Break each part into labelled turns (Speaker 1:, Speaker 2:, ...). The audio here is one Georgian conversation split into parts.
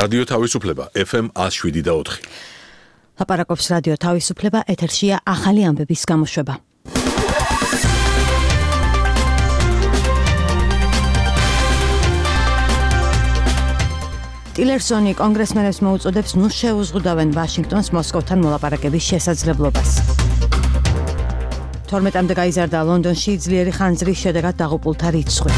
Speaker 1: რადიო თავისუფლება FM 107.4.
Speaker 2: ლაპარაკობს რადიო თავისუფლება, ეთერშია ახალი ამბების გამოშვება. ტილერსონი კონგრესმენებს მოუწოდებს ნუ შეუზღუდავენ ვაშინგტონს მოსკოვთან მოლაპარაკების შესაძლებლობას. 12-მდე გაიზარდა ლონდონში ძლიერი ხანძრის შედეგად დაღუპულთა რიცხვი.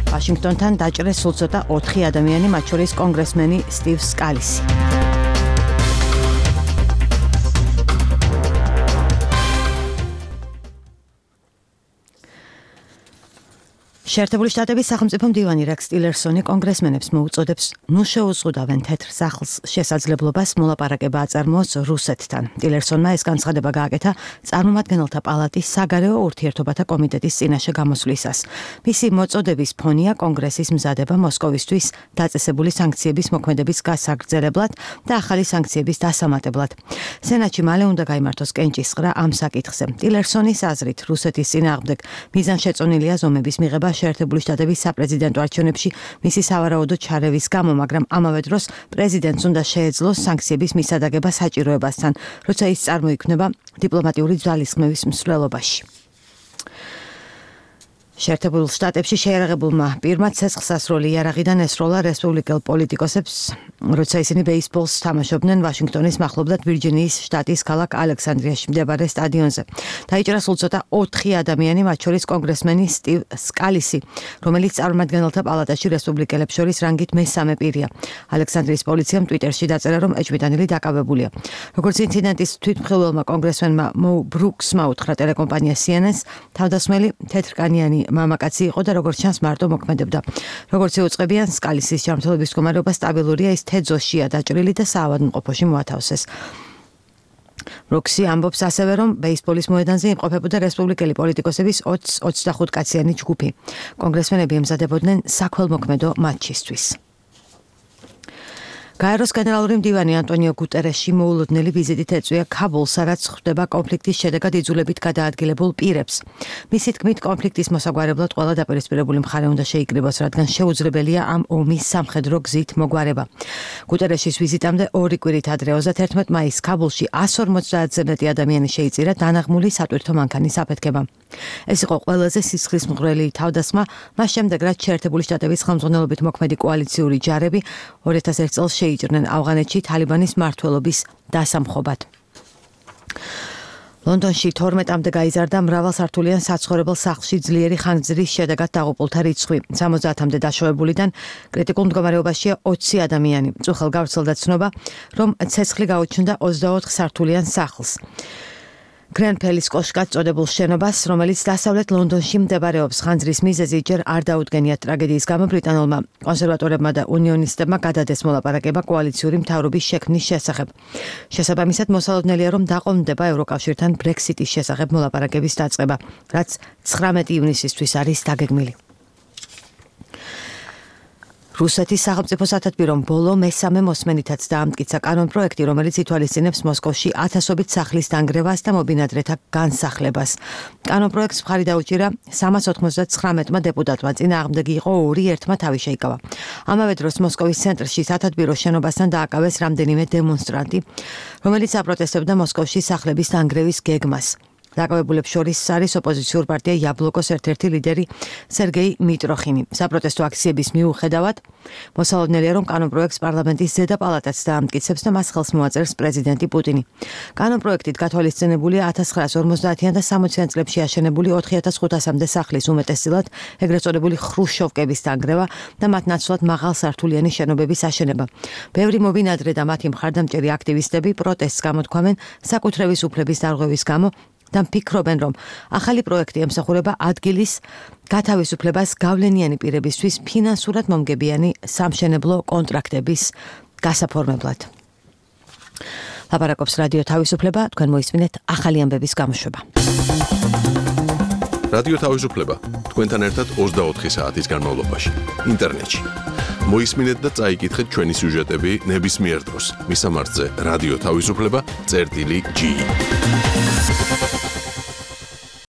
Speaker 2: ვაშინგტონთან დაჭრეს სულ ცოტა 4 ადამიანი, მათ შორის კონგრესმენი სტივ სკალისი. შეერთებული შტატების სახელმწიფო მდივანი რეკს ტილერსონი კონგრესმენებს მოუწოდებს ნუ შეუზღუდავენ თეთრ სახლს შესაძლებლობას მოლაპარაკება აწარმოოს რუსეთთან. ტილერსონმა ეს განცხადება გააკეთა წარმომადგენელთა პალატის საგარეო ურთიერთობათა კომიტეტის წინაშე გამოსვლისას. მისი მოწოდების ფონია კონგრესის მზადება მოსკოვისთვის დაწესებული სანქციების მოქმედების გასაგრძელებლად და ახალი სანქციების დასამატებლად. სენატში მალე უნდა გაიმართოს კენჭისყრა ამ საკითხზე. ტილერსონის აზრით რუსეთის წინააღმდეგ მიზანშეწონილია ზომების მიღება შეერთებული შტატების საპრეზიდენტო არჩევნებში მისი სავარაუდო ჩარევის გამო, მაგრამ ამავე დროს პრეზიდენტს უნდა შეეძლოს სანქციების მისადაგება საჭიროებასთან, როცა ის წარმოიქმნება დიპლომატიური ძალისხმევის მსვლელობაში. შეერთებულ შტატებში შეიარაღებულმა პირმა ცეცხლსასროლი იარაღიდან ესროლა რესპუბლიკელ პოლიტიკოსებს, როცა ისინი ბეისბოლს თამაშობდნენ ვაშინგტონის მახლობლად ვირჯინიის შტატის ქალაქ ალექსანდრიაში მდებარე სტადიონზე. დაიჭრა სულ ცოტა 4 ადამიანი, მათ შორის კონგრესმენი სტივ სკალისი, რომელიც წარმომადგენელთა პალატაში რესპუბლიკელებს შორის რანგით მესამე პირია. ალექსანდრიის პოლიციამ ტვიტერში დაწერა, რომ ეჭვმიტანილი დაკავებულია. როგორც ინციდენტის თვითმხილველმა კონგრესმენმა მო ბრუქსმა უთხრა ტელეკომპანია CNN-ს, თავდასხმელი თეთრკანიანი მამაკაცი იყო და როგორც ჩანს მარტო მოქმედებდა. როგორც იუწყებიან, სკალისის ჯანმრთელობის მდგომარეობა სტაბილურია, ის თეძოშია დაჭრილი და საავადმყოფოში მოათავსეს. ბრუქსი ამბობს ასევე, რომ ბეისბოლის მოედანზე იმყოფებოდა რესპუბლიკელი პოლიტიკოსების 20-25 კაციანი ჯგუფი. კონგრესმენები ემზადებოდნენ საქველმოქმედო მატჩისთვის. გაეროს გენერალური მდივანი ანტონიო გუტერეში მოულოდნელი ვიზიტით ეწვია ქაბულს, სადაც ხვდება კონფლიქტის შედეგად იძულებით გადაადგილებულ პირებს. მისი თქმით, კონფლიქტის მოსაგვარებლად ყველა დაპირისპირებული მხარე უნდა შეიკრიბოს, რადგან შეუძლებელია ამ ომის სამხედრო გზით მოგვარება. გუტერეშის ვიზიტამდე 2 კვირით ადრე 31 მაისს ქაბულში 150-ზე მეტი ადამიანი შეიწირა დანაღმული სატვირთო მანქანის აფეთქებამ. ეს იყო ყველაზე სისხლისმღვრელი თავდასხმა მას შემდეგ, რაც შეერთებული შტატების ხელმძღვანელობით მოქმედი კოალიციური ჯარები 2001 წელს შეიჭრნენ ავღანეთში თალიბანის მმართველობის დასამხობად. ლონდონში 12-მდე გაიზარდა მრავალსართულიან საცხოვრებელ სახლში ძლიერი ხანძრის შედეგად დაღუპულთა რიცხვი. 70-მდე დაშავებულიდან კრიტიკულ მდგომარეობაშია 20 ადამიანი. წუხელ გავრცელდა ცნობა, რომ ცეცხლი გაუჩნდა 24 სართულიან სახლს. გრენფელის კოშკად წოდებულ შენობას, რომელიც დასავლეთ ლონდონში მდებარეობს. ხანძრის მიზეზი ჯერ არ დაუდგენიათ ტრაგედიის გამო ბრიტანულმა კონსერვატორებმა და უნიონისტებმა გადადეს მოლაპარაკება კოალიციური მთავრობის შექმნის შესახებ. შესაბამისად, მოსალოდნელია, რომ დაყოლმდება ევროკავშირთან ბრექსიტის შესახებ მოლაპარაკების დაწყება, რაც 19 ივნისისთვის არის დაგეგმილი. რუსეთის სახელმწიფო სათათბირომ ბოლო მესამე მოსმენითაც დაამტკიცა კანონპროექტი, რომელიც ითვალისწინებს მოსკოვში 1000-ობით სახლის დანგრევას და მობინადრეთა განსახლებას. კანონპროექტს მხარი დაუჭირა 399 დეპუტატმა, წინააღმდეგი იყო 2, ერთმა თავი შეიკავა. ამავე დროს მოსკოვის ცენტრში სათათბიროს შენობასთან დააკავეს რამდენიმე დემონსტრანტი, რომელიც აპროტესტებდა მოსკოვში სახლების დანგრევის გეგმას. დაკავებულებს შორის არის ოპოზიციურ პარტია იაბლოკოს ერთ-ერთი ლიდერი სერგეი მიტროხინი. საპროტესტო აქციების მიუხედავად, მოსალოდნელია, რომ კანონპროექტს პარლამენტის ზედა პალატაც დაამტკიცებს და მას ხელს მოაწერს პრეზიდენტი პუტინი. კანონპროექტით გათვალისწინებულია 1950-იან და 60-იან წლებში აშენებული 4500-მდე სახლის უმეტესწილად ეგრეთ წოდებული ხრუშოვკების დანგრევა და მათ ნაცვლად მაღალსართულიანი შენობების აშენება. ბევრი მობინადრე და მათი მხარდამჭერი აქტივისტები პროტესტს გამოთქვამენ საკუთრების უფლების დარღვევის გამო და ფიქრობენ, რომ ახალი პროექტი ემსახურება ადგილის გათავისუფლებას გავლენიანი პირებისთვის ფინანსურად მომგებიანი სამშენებლო კონტრაქტების გასაფორმებლად. ლაპარაკობს რადიო თავისუფლება, თქვენ მოისმინეთ ახალი ამბების გამოშვება.
Speaker 1: რადიო თავისუფლება, თქვენთან ერთად 24 საათის განმავლობაში, ინტერნეტში. მოისმინეთ და წაიკითხეთ ჩვენი სიუჟეტები ნებისმიერ დროს. მისამართზე რადიო თავისუფლება წერტილი G.